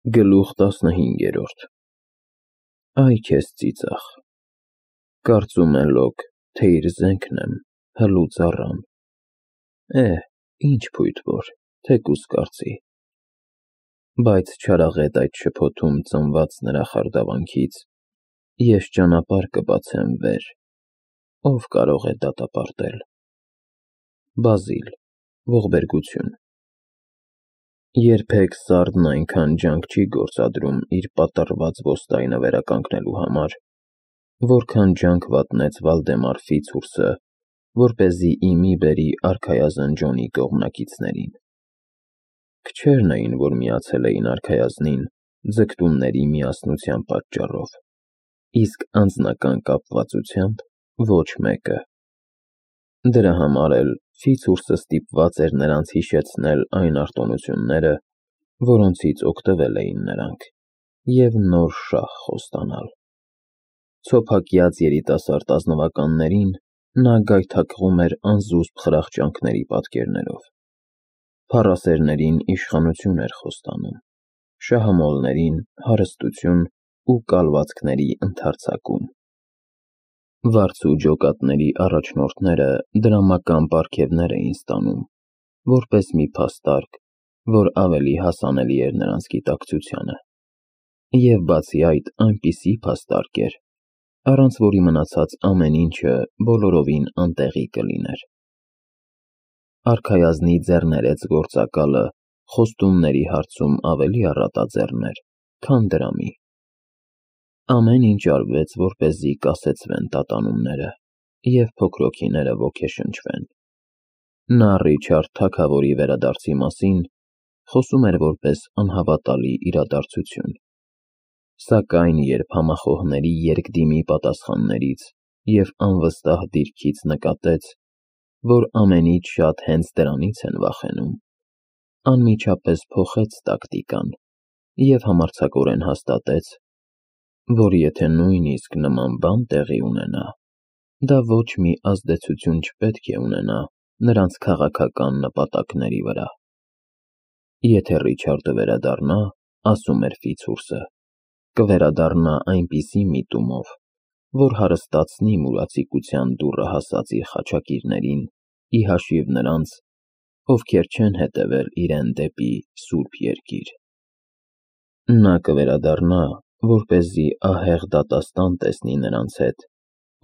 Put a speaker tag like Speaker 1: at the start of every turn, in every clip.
Speaker 1: Գլուխ 15 Այ քեզ ծիծաղ, կարծում է լոկ, թե իր զենքն եմ, հլուց առան, ինչ փույթ որ, թեկուզ կարծի, բայց չարաղետ այդ շփոթում ծնված նրա խարդավանքից, ես ճանապարհ կբացեմ վեր, ով կարող է դատապարտել: Բազիլ, ողբերգություն Երբեք սարդն այնքան ջանք չի գործադրում իր պատռված ոստայնը վերականգնելու համար, որքան ջանք վատնեց Վալդեմար Ֆիցուրսը, որպեսզի ի մի բերի արքայազն Ջոնի կողմնակիցներին: Քչերն էին, որ միացել էին արքայազնին ձգտումների միասնության պատճառով, իսկ անձնական կապվածությամբ ոչ մեկը: Դրա համար էլ Ֆիցուրսը ստիպված էր նրանց հիշեցնել այն արտոնությունները, որոնցից օգտվել էին նրանք, և նոր շահ խոստանալ: Ցոփակյաց երիտասարդ ազնվականներին նա գայթակղում էր անզուսպ խրախճանքների պատկերներով: Փառասերներին իշխանություն էր խոստանում, շահամոլներին հարստություն ու կալվածքների ընդարձակում: Վարձու ջոկատների առաջնորդները դրամական պարգևներ էին ստանում, որպես մի փաստարկ, որ ավելի հասանելի էր նրանց գիտակցությանը: Եվ բացի այդ այնպիսի փաստարկ էր, առանց որի մնացած ամեն ինչը բոլորովին անտեղի կլիներ: Արքայազնի ձեռներեց գործակալը խոստումների հարցում ավելի առատաձեռն էր, քան դրամի: Ամեն ինչ արվեց, որպեսզի կասեցվեն տատանումները և փոքրոքիները ոգեշնչվեն: Նա Ռիչարդ թագավորի վերադարձի մասին խոսում էր որպես անհավատալի իրադարձություն: Սակայն երբ համախոհների երկդիմի պատասխաններից և անվստահ դիրքից նկատեց, որ ամենից շատ հենց դրանից են վախենում, անմիջապես փոխեց տակտիկան և համարձակորեն հաստատեց, որ եթե նույնիսկ նման բան տեղի ունենա, դա ոչ մի ազդեցություն չպետք է ունենա նրանց քաղաքական նպատակների վրա: Եթե Ռիչարդը վերադառնա, ասում էր Ֆիցուրսը, կվերադառնա այնպիսի միտումով, որ հարստացնի մուրացիկության դուռը հասածի խաչակիրներին ի հաշիվ նրանց, ովքեր չեն հետևել իրեն դեպի Սուրբ Երկիր: Նա կվերադառնա, որպեսզի ահեղ դատաստան տեսնի նրանց հետ,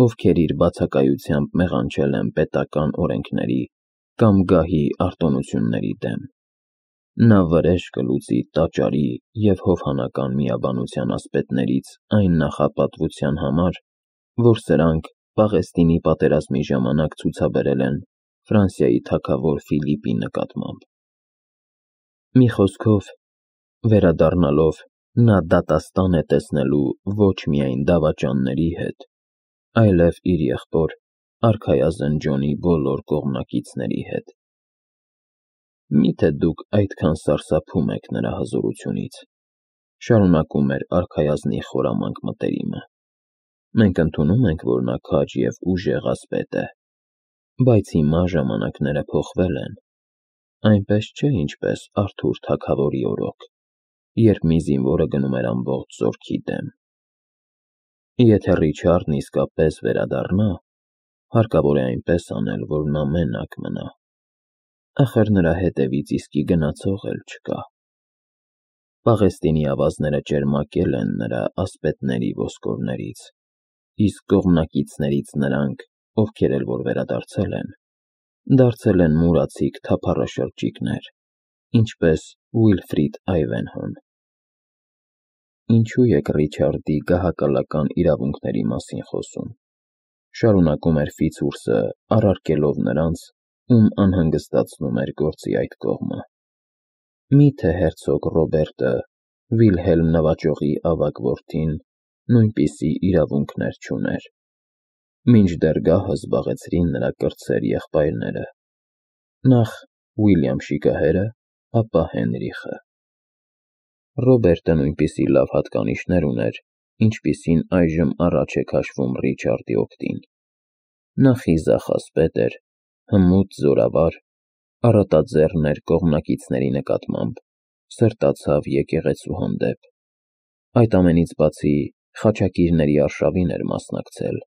Speaker 1: ովքեր իր բացակայությամբ մեղանչել են պետական օրենքների կամ գահի արտոնությունների դեմ: Նա վրեժ կլուծի տաճարի և հովհանական միաբանության ասպետներից այն նախապատվության համար, որ սրանք Պաղեստինի պատերազմի ժամանակ ցուցաբերել են Ֆրանսիայի թագավոր Ֆիլիպի նկատմամբ: Մի խոսքով, վերադառնալով նա դատաստան է տեսնելու ոչ միայն դավաճանների հետ, այլև իր եղբոր արքայազն Ջոնի բոլոր կողմնակիցների հետ: Միթե դուք այդքան սարսափում եք նրա հզորությունից, շարունակում էր արքայազնի խորամանկ մտերիմը: Մենք ընդունում ենք, որ նա քաջ և ուժեղ ասպետ է, բայց հիմա ժամանակները փոխվել են, այնպես չէ ինչպես Արթուր թագավորի օրոք, երբ մի զինվորը գնում էր ամբողջ զորքի դեմ: Եթե Ռիչարդն իսկապես վերադառնա, հարկավոր է այնպես անել, որ նա մենակ մնա: Ախր նրա հետևից իսկի գնացող էլ չկա: Պաղեստինի ավազները ճերմակել են նրա ասպետների ոսկորներից, իսկ կողմնակիցներից նրանք, ովքեր էլ որ վերադարձել են, դարձել են մուրացիկ թափառաշրջիկներ, ինչպես Ուիլֆրիդ Այվենհոն: Ինչու եք Ռիչարդի գահակալական իրավունքների մասին խոսում, շարունակում էր Ֆիցուրսը, առարկելով նրանց, ում անհանգստացնում էր գործի այդ կողմը: Միթե հերցոգ Ռոբերտը, Վիլհելմ նվաճողի ավագ որդին, նույնպիսի իրավունքներ չուներ: Մինչդեռ գահը զբաղեցրին նրա կրտսեր եղբայրները, նախ Ուիլյամ Շիկահերը, ապա Հենրիխը: Ռոբերտը նույնպիսի լավ հատկանիշներ ուներ, ինչպիսին այժմ առաջ է քաշվում Ռիչարդի օգտին: Նա խիզախ ասպետ էր, հմուտ զորավար, առատաձեռն էր կողմնակիցների նկատմամբ սրտացավ եկեղեցու հանդեպ։ Այդ ամենից բացի խաչակիրների արշավին էր մասնակցել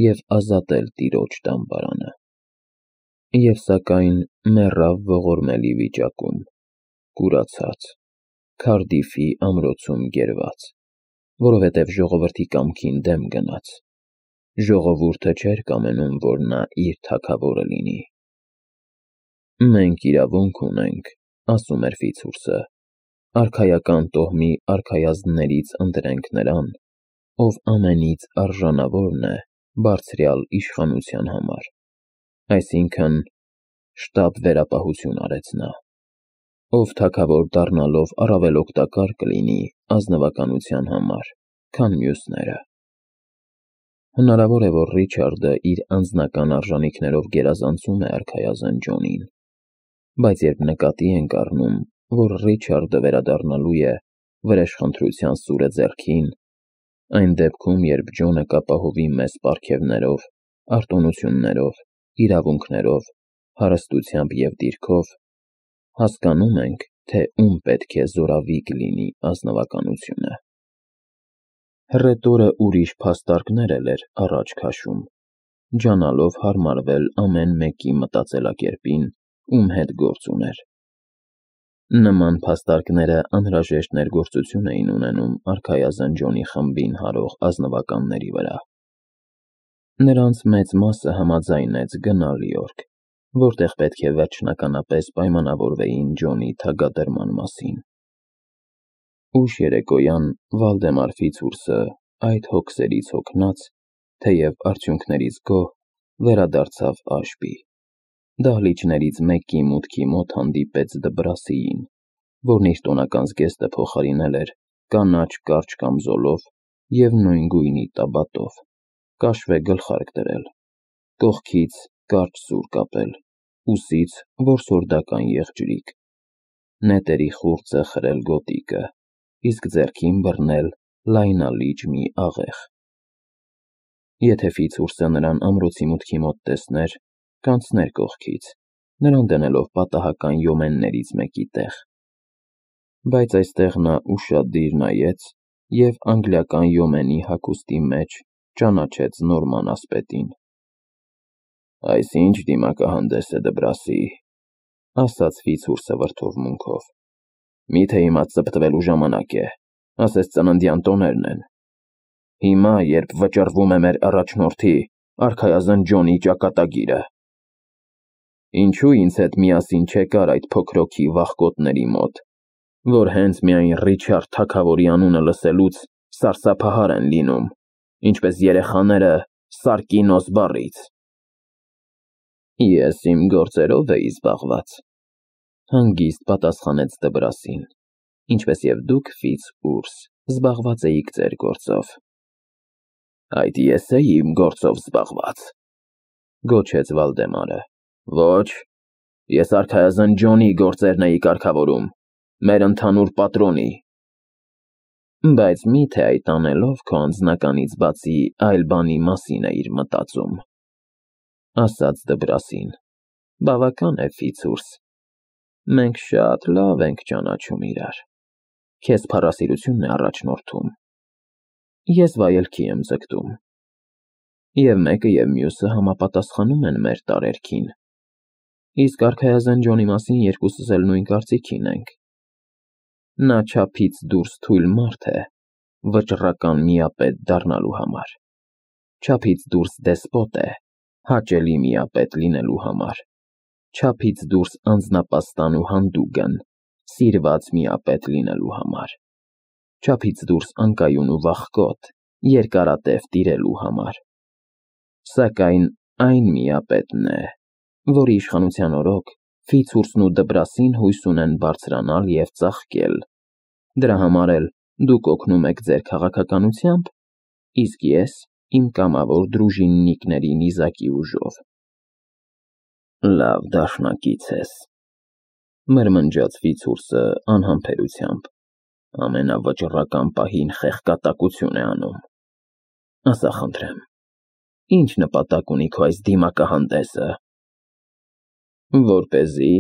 Speaker 1: և ազատել տիրոջ դամբարանը։ Եվ սակայն մեռավ ողորմելի վիճակում, կուրացած, Քարդիֆի ամրոցում գերված, որովհետև ժողովրդի կամքին դեմ գնաց։ Ժողովուրդը չէր կամենում, որ նա իր թագավորը լինի։ «Մենք իրավունք ունենք», ասում էր Ֆիցուրսը, «արքայական տոհմի արքայազններից ընտրենք նրան, ով ամենից արժանավորն է բարձրյալ իշխանության համար», այսինքն շտապ վերապահություն արեց նա, «ով թագավոր դառնալով առավել օգտակար կլինի ազնվականության համար, քան մյուսները»։ Հնարավոր է, որ Ռիչարդը իր անձնական արժանիքներով գերազանցում է արքայազն Ջոնին, բայց երբ նկատի ենք առնում, որ Ռիչարդը վերադառնալու է վրեժխնդրության սուրը ձեռքին, այն դեպքում, երբ Ջոնը կապահովի մեզ պարգևներով, արտոնություններով, իրավունքներով, հարստությամբ և դիրքով, հասկանում ենք, թե ում պետք է զորավիգ լինի ազնվականությունը։ Հռետորը ուրիշ փաստարկներ էլ էր առաջ քաշում, ջանալով հարմարվել ամեն մեկի մտածելակերպին, ում հետ գործ ուներ։ Նման փաստարկները անհրաժեշտ ներգործություն էին ունենում արքայազն Ջոնի խմբին հարող ազնվականների վրա։ Նրանց մեծ մասը համաձայնեց գնալ Յորք, որտեղ պետք է վերջնականապես պայմանավորվեին Ջոնի թագադրման մասին։ Ուշ երեկոյան Վալդեմար Ֆիցուրսը, այդ հոգսերից հոգնած, թեև արդյունքներից գոհ, վերադարձավ Աշբի։ Դահլիճներից մեկի մուտքի մոտ հանդիպեց Դբրասիին, որն իր տոնական զգեստը փոխարինել էր կանաչ կարճ կամզոլով և նույն գույնի տաբատով, կաշվե գլխարկ դրել, կողքից կարճ սուր կապել, ուսից որսորդական եղջյուրիկ, նետերի խուրձը խրել գոտիկը, իսկ ձեռքին բռնել լայնալիճ մի աղեղ։ Եթե Ֆիցուրսը նրան ամրոցի մուտքի մոտ տեսներ, կանցներ կողքից, նրան դնելով պատահական յոմեններից մեկի տեղ։ Բայց այստեղ նա ուշադիր նայեց և անգլիական յոմենի հագուստի մեջ ճանաչեց նորման ասպետին։ «Այս ի՞նչ դիմակահանդես է, Դբրասի», ասաց Ֆիցուրսը վրդովմունքով։ «Միթե հիմա ծպտվելու ժամանակ է, ասես ծննդյան տոներն են։ Հիմա, երբ վճռվում է մեր առաջնորդի, արքայազն Ջոնի ճակատագիրը։ Ինչու ինձ հետ միասին չեկար այդ փոքրոքի վախկոտների մոտ, որ հենց միայն Ռիչարդ թագավորի անունը լսելուց սարսափահար են լինում, ինչպես երեխաները Սարկինոս բառից»։ «Ես իմ գործերով էի զբաղված», հանգիստ պատասխանեց Դբրասին, «ինչպես և դուք, Ֆիցուրս, զբաղված էիք ձեր գործով»։ «Այդ ես էի իմ գործով զբաղված», գոչեց Վալդեմարը։ «Ոչ, ես արքայազն Ջոնի գործերն էի կարգավորում, մեր ընդհանուր պատրոնի»։ «Բայց մի՞թե այդ անելով քո անձնականից բացի այլ բանի մասին էիր մտածում», ասաց Դբրասին։ «Բավական է, Ֆիցուրս, մենք շատ լավ ենք ճանաչում իրար։ Քեզ փառասիրությունն է առաջնորդում, ես վայելքի եմ ձգտում։ Եվ մեկը և մյուսը համապատասխանում են մեր տարերքին, իսկ արքայազն Ջոնի մասին երկուսս էլ նույն կարծիքին ենք։ Նա չափից դուրս թույլ մարդ է վճռական միապետ դառնալու համար, չափից դուրս դեսպոտ է հաճելի միապետ լինելու համար, չափից դուրս անձնապաստան ու հանդուգն սիրված միապետ լինելու համար, չափից դուրս անկայուն ու վախկոտ երկարատև տիրելու համար, սակայն այն միապետն է, որի իշխանության օրոք Ֆիցուրսն ու Դբրասին հույս ունեն բարձրանալ և ծաղկել։ Դրա համար էլ դուք օգնում եք ձեր քաղաքականությամբ, իսկ ես իմ կամավոր դրուժիննիկների նիզակի ուժով»։ «Լավ դաշնակից ես», մրմնջաց Ֆիցուրսը անհամբերությամբ, «ամենավճռական պահին խեղկատակություն է անում։ Ասա խնդրեմ, ի՞նչ նպատակ ունի քո այս դիմակահանդեսը»։ «Որպեսզի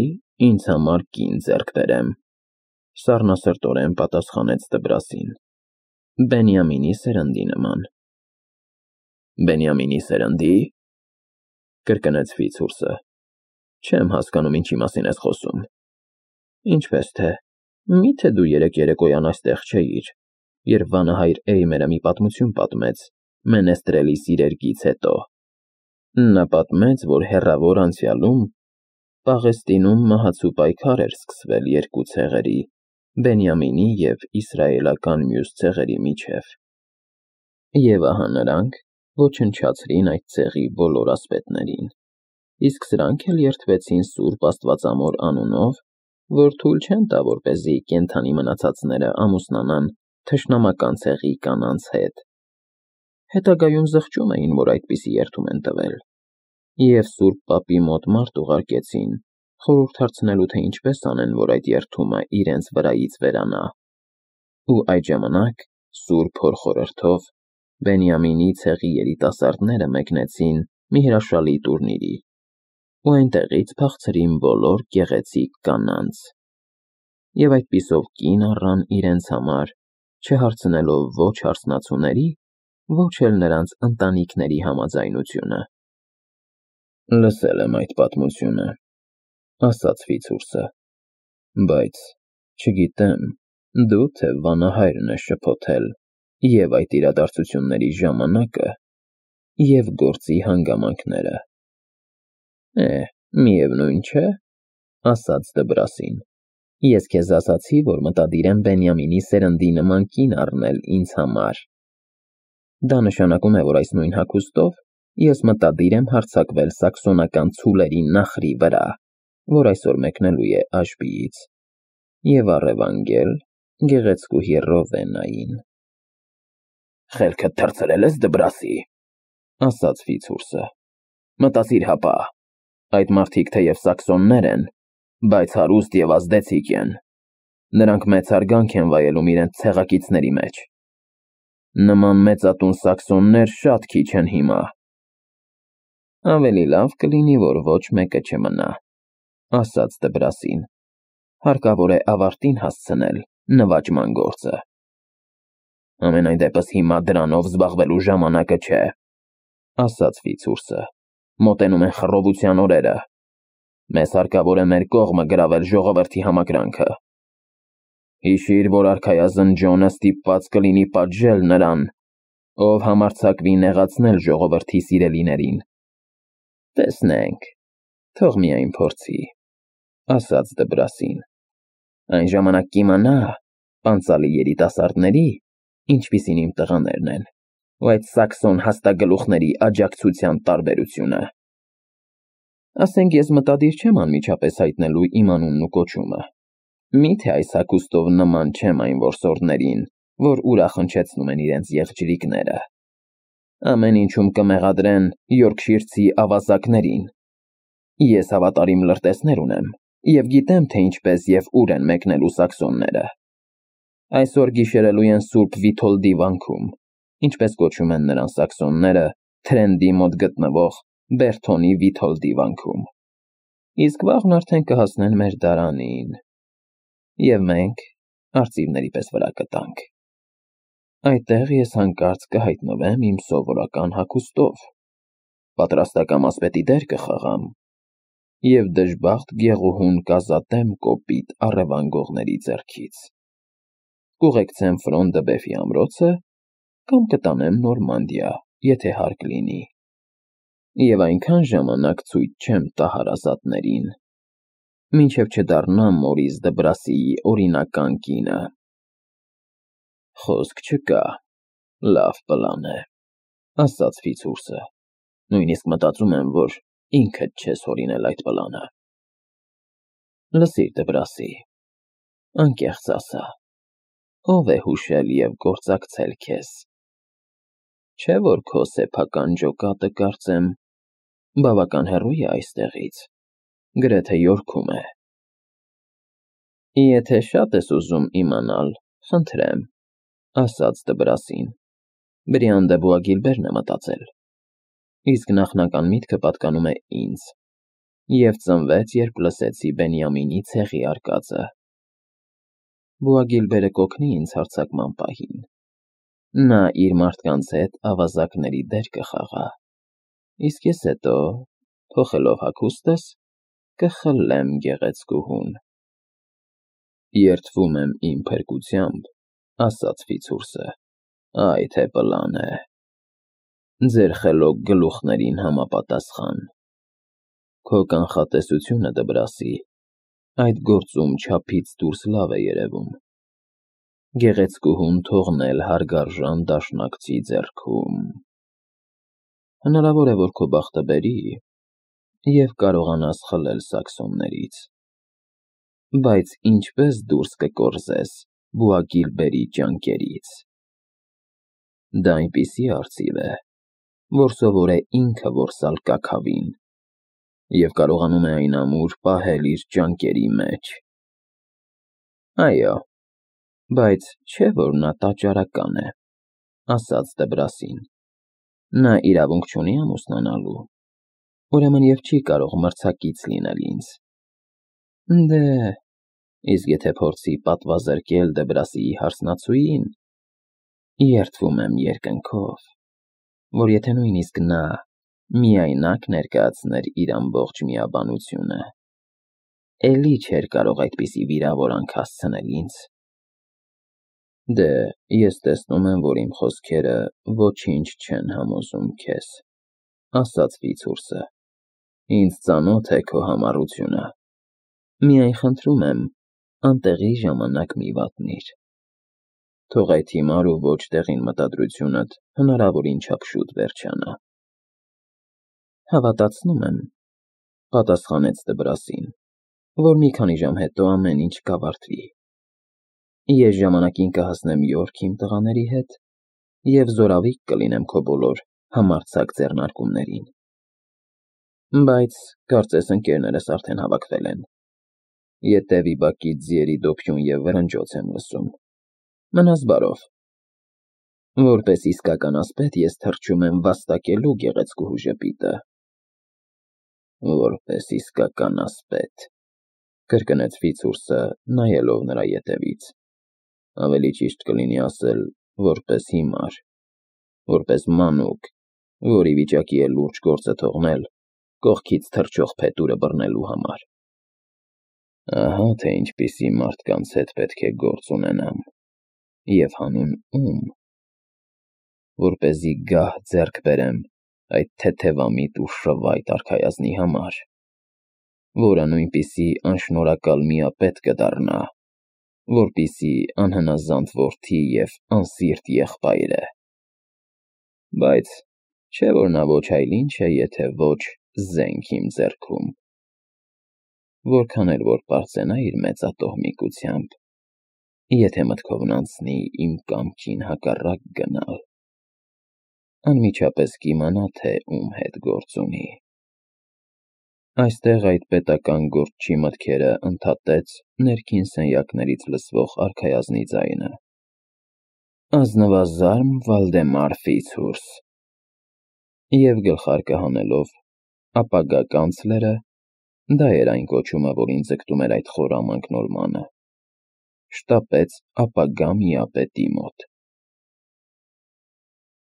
Speaker 1: ինձ համար կին ձեռք բերեմ, Սառնասրտորեն պատասխանեց Դբրասին։ Բենյամինի սերնդի նման։ Բենյամինի սերնդի՞, կրկնեց Ֆիցուրսը։ Չեմ հասկանում, ինչի մասին ես խոսում։ Ինչպես թե, միթե դու երեկոյան այստեղ չէիր, երբ վանահայր Էյմերը մի պատմություն պատմեց Մենեստրելի սիրերգից հետո։ Նա պատմեց, որ հեռավոր անցյալում Պաղեստինում մահացու պայքար էր սկսվել երկու ցեղերի՝ Բենյամինի և իսրայելական մյուս ցեղերի միջև։ Եվ ահա նրանք ոչնչացրին այդ ցեղի բոլոր ասպետներին, իսկ սրանք էլ երդվեցին Սուրբ Աստվածամոր անունով, որ թույլ չեն տա, որպեսզի կենդանի մնացածները ամուսնանան թշնամական ցեղի կանանց հետ։ Հետագայում զղջում էին, որ այդպիսի երդում են տվել, և Սուրբ Պապի մոտ մարդ ուղարկեցին, խորհուրդ հարցնելու, թե ինչպես անեն, որ այդ երդումը իրենց վրայից վերանա։ Ու այդ ժամանակ Սուրբ Հոր խորհրդով Բենյամինի ցեղի երիտասարդները մեկնեցին մի հրաշալի տուրնիրի, ու այնտեղից փախցրին բոլոր գեղեցիկ կանանց, և այդպիսով կին առան իրենց համար, չհարցնելով ոչ հարսնացուների, ոչ էլ նրանց ընտանիքների համաձայնությունը։ Լսել եմ այդ պատմությունը, ասաց Ֆիցուրսը, բայց չգիտեմ, դու թե վանահայրն ես շփոթել և այդ իրադարձությունների ժամանակը, և գործի հանգամանքները։ Միևնույն չէ, ասաց Դբրասին, ես քեզ ասացի, որ մտադիր եմ Բենյամինի սերնդի նման կին առնել ինձ համար։ Դա նշանակում է, որ այս նույն հագուստով ես մտադիր եմ հարձակվել սաքսոնական ցուլերի նախրի վրա, որ այսօր մեկնելու է Աշբիից, և առևանգել գեղեցկուհի Ռովեննային։ Խելքդ թռցրել ես, Դբրասի, ասաց Ֆիցուրսը։ Մտածիր հապա, այդ մարդիկ թեև սաքսոններ են, բայց հարուստ և ազդեցիկ են։ Նրանք մեծ հարգանք են վայելում իրենց ցեղակիցների մեջ։ Նման մեծատուն սաքսոններ շատ քիչ են հիմա։ Ավելի լավ կլինի, որ ոչ մեկը չմնա, ասաց Դբրասին։ Հարկավոր է ավարտին հասցնել նվաճման գործը։ Ամենայն դեպս հիմա դրանով զբաղվելու ժամանակը չէ, ասաց Ֆիցուրսը։ Մոտենում են խռովության օրերը։ Մեզ հարկավոր է մեր կողմը գրավել ժողովրդի համակրանքը։ Հիշիր, որ արքայազն Ջոնը ստիպված կլինի պատժել նրան, ով համարձակվի նեղացնել ժողովրդի սիրելիներին։ Տեսնենք, թող միայն փորձի, ասաց Դբրասին։ Այն ժամանակ կիմանա, պանծալի երիտասարդների, ինչպիսին իմ տղաներն են, ու այդ սաքսոն հաստագլուխների աջակցության տարբերությունը։ Ասենք ես մտադիր չեմ անմիջապես հայտնելու իմ անունն ու կոչումը։ Միթե այս հագուստով նման չեմ այն որսորդներին, որ ուրախ հնչեցնում են իրենց եղջրիկները։ Ամեն ինչում կմեղադրեն յորքշիրցի ավազակներին։ Ես հավատարիմ լրտեսներ ունեմ և գիտեմ, թե ինչպես և ուր են մեկնելու սաքսոնները։ Այսօր գիշերելու են Սուրբ Վիթոլդի վանքում, ինչպես կոչում են նրան սաքսոնները Թրենդի մոտ գտնվող Բերթոնի Վիթոլդի վանքում։ Իսկ վաղն արդեն կհասնեն մեր դարանին, և մենք արծիվների պես վրա կտանք։ Այդտեղ ես հանկարծ կհայտնվեմ իմ սովորական հագուստով, պատրաստակամ ասպետի դեր կխաղամ և դժբախտ գեղուհուն կազատեմ կոպիտ առևանգողների ձեռքից։ Կուղեկցեմ Ֆրոն դը Բեֆի ամրոցը կամ կտանեմ Նորմանդիա, եթե հարկ լինի, և այնքան ժամանակ ցույց չեմ տա հարազատներին, մինչև չդառնամ Մորիս Դբրասիի օրինական կինը։ Խոսք չկա, լավ պլան է, ասաց Ֆիցուրսը։ Նույնիսկ մտածում եմ, որ ինքդ չես հորինել այդ պլանը։ Լսիր, Դբրասի, անկեղծ ասա, ով է հուշել և գործակցել քեզ։ Չէ՞ որ քո սեփական ջոկատը, կարծեմ, բավական հեռու է այստեղից, գրեթե Յորքում է։ Եթե շատ ես ուզում իմանալ, խնդրեմ, ասաց Դբրասին, Բրիան դե Բուագիլբերն է մտածել, իսկ նախնական միտքը պատկանում է ինձ, և ծնվեց, երբ լսեցի Բենյամինի ցեղի արկածը։ Բուա Գիլբերը կօգնի ինձ հարձակման պահին։ Նա իր մարդկանց հետ ավազակների դեր կխաղա, իսկ ես հետո, փոխելով հագուստս, կխլեմ գեղեցկուհուն։ Երդվում եմ իմ փրկությամբ, ասաց Ֆիցուրսը, այ թե պլան է։ Ձեր խելոք գլուխներին համապատասխան։ Քո կանխատեսությունը, Դբրասի, այդ գործում չափից դուրս լավ է երևում։ Գեղեցկուհուն թողնել հարգարժան դաշնակցի ձեռքում։ Հնարավոր է, որ քո բախտը բերի և կարողանաս խլել սաքսոններից։ Բայց ինչպես դուրս կկորզես Բուա Գիլբերի ճանկերից։ Դա այնպիսի արծիվ է, որ սովոր է ինքը որսալ կաքավին և կարողանում է այն ամուր պահել իր ճանկերի մեջ։ Այո, բայց չէ՞ որ նա տաճարական է, ասաց Դբրասին։ Նա իրավունք չունի ամուսնանալու, ուրեմն և չի կարող մրցակից լինել ինձ։ Դե, իսկ եթե փորձի պատվազրկել Դբրասիի հարսնացուին, երդվում եմ երկնքով, որ եթե նույնիսկ նա միայնակ ներկայացներ իր ամբողջ միաբանությունը, էլի չէր կարող այդպիսի վիրավորանք հասցնել ինձ։ Դե, ես տեսնում եմ, որ իմ խոսքերը ոչինչ չեն համոզում քեզ, ասաց Ֆիցուրսը։ Ինձ ծանոթ է քո համառությունը։ Միայն խնդրում եմ, անտեղի ժամանակ մի վատնիր։ Թող այդ հիմար ու ոչ տեղին մտադրությունդ հնարավորին չափ շուտ վերջանա։ Հավատացնում եմ, պատասխանեց Դբրասին, որ մի քանի ժամ հետո ամեն ինչ կավարտվի։ Ես ժամանակին կհասնեմ Յորք իմ տղաների հետ և զորավիկ կլինեմ քո բոլոր համարձակ ձեռնարկումներին։ Բայց կարծես ընկերներս արդեն հավաքվել են։ Ետևի բակից ձիերի դոփյուն և վրնջոց եմ լսում։ Մնաս բարով։ Որպես իսկական ասպետ ես թռչում եմ վաստակելու գեղեցկուհու ժպիտը։ Որպես իսկական ասպետ, կրկնեց Ֆիցուրսը, նայելով նրա ետևից։ Ավելի ճիշտ կլինի ասել, որպես հիմար, որպես մանուկ, որ ի վիճակի է լուրջ գործը թողնել կողքից թռչող փետուրը բռնելու համար։ Ահա թե ինչպիսի մարդկանց հետ պետք է գործ ունենամ, և հանուն ում, որպեսզի գահ ձեռք բերեմ այդ թեթևամիտ ու շվայտ արքայազնի համար, որը նույնպիսի անշնորհակալ միապետ կդառնա, որպիսի անհնազանդ որդի և անսիրտ եղբայր է։ Բայց չէ՞ որ նա ոչ այլ ինչ է, եթե ոչ զենք իմ ձեռքում։ Որքան էլ որ պարծենա իր մեծատոհմիկությամբ, եթե մտքովն անցնի իմ կամքին հակառակ գնալ, անմիջապես կիմանա, թե ում հետ գործ ունի։ Այստեղ այդ պետական գործչի մտքերը ընդհատեց ներքին սենյակներից լսվող արքայազնի ձայնը։ Ազնվազարմ Վալդեմար Ֆիցուրս։ Եվ գլխարկը հանելով ապագա կանցլերը, դա էր այն կոչումը, որին ձգտում էր այդ խորամանկ նորմանը, շտապեց ապագա միապետի մոտ։